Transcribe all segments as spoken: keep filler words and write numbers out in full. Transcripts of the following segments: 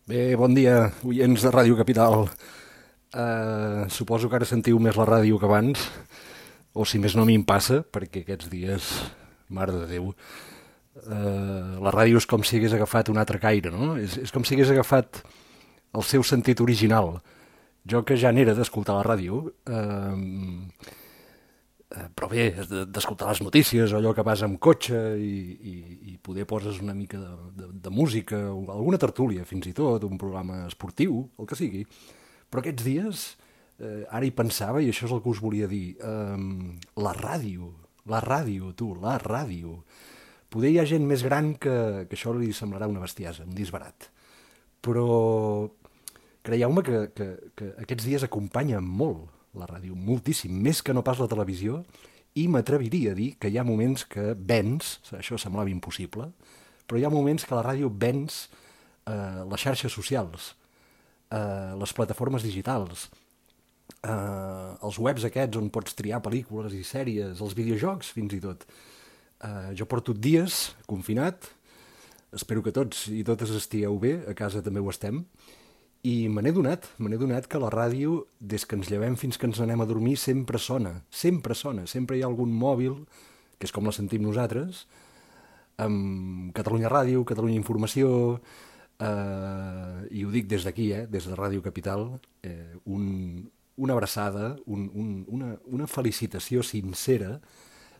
Bé, bon dia, oients de Ràdio Capital. Uh, suposo que ara sentiu més la ràdio que abans, o si més no a mi em passa, perquè aquests dies, mare de Déu, uh, la ràdio és com si hagués agafat un altre caire, no? És, és com si hagués agafat el seu sentit original. Jo que ja n'era d'escoltar la ràdio, uh, uh, però bé, d'escoltar les notícies, o allò que vas amb cotxe i, i, i poder poses una mica de, de, de música, o alguna tertúlia fins i tot, un programa esportiu, el que sigui. Però aquests dies, eh, ara hi pensava, i això és el que us volia dir, eh, la ràdio, la ràdio, tu, la ràdio. Poder hi ha gent més gran que, que això li semblarà una bestiesa, un disbarat. Però creieu-me que, que, que aquests dies acompanya molt la ràdio, moltíssim, més que no pas la televisió, i m'atreviria a dir que hi ha moments que vens, això semblava impossible, però hi ha moments que la ràdio vens eh, les xarxes socials, eh, les plataformes digitals, eh, els webs aquests on pots triar pel·lícules i sèries, els videojocs fins i tot. Eh, jo porto dies confinat, espero que tots i totes estigueu bé, a casa també ho estem, i me n'he donat, me n'he donat que la ràdio, des que ens llevem fins que ens anem a dormir, sempre sona, sempre sona, sempre hi ha algun mòbil, que és com la sentim nosaltres, amb Catalunya Ràdio, Catalunya Informació, eh, i ho dic des d'aquí, eh, des de Ràdio Capital, eh, un, una abraçada, un, un, una, una felicitació sincera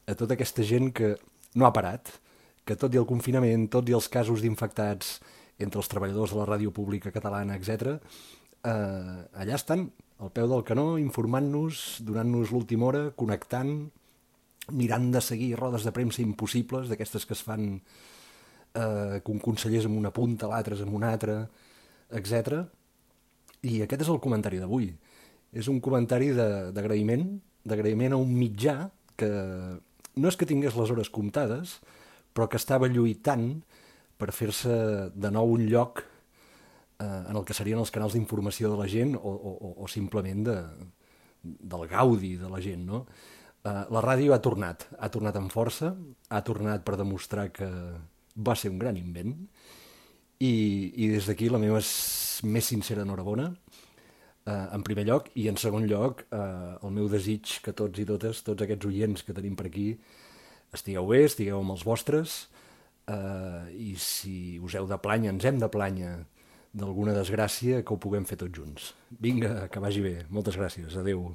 a tota aquesta gent que no ha parat, que tot i el confinament, tots i els casos d'infectats entre els treballadors de la ràdio pública catalana, etcètera, eh, allà estan, al peu del canó, informant-nos, donant-nos l'última hora, connectant, mirant de seguir rodes de premsa impossibles, d'aquestes que es fan eh, que un conseller és amb una punta, l'altre és amb una altra, etcètera. I aquest és el comentari d'avui. És un comentari d'agraïment, d'agraïment a un mitjà que no és que tingués les hores comptades, però que estava lluitant per fer-se de nou un lloc eh, en el que serien els canals d'informació de la gent o, o, o simplement de, del gaudi de la gent, no? Eh, la ràdio ha tornat, ha tornat amb força, ha tornat per demostrar que va ser un gran invent i, i des d'aquí la meva més sincera enhorabona, eh, en primer lloc, i en segon lloc eh, el meu desig que tots i totes, tots aquests oients que tenim per aquí, estigueu bé, estigueu amb els vostres, Uh, i si us heu de planya, ens hem de planya d'alguna desgràcia, que ho puguem fer tots junts. Vinga, que vagi bé. Moltes gràcies. Adeu.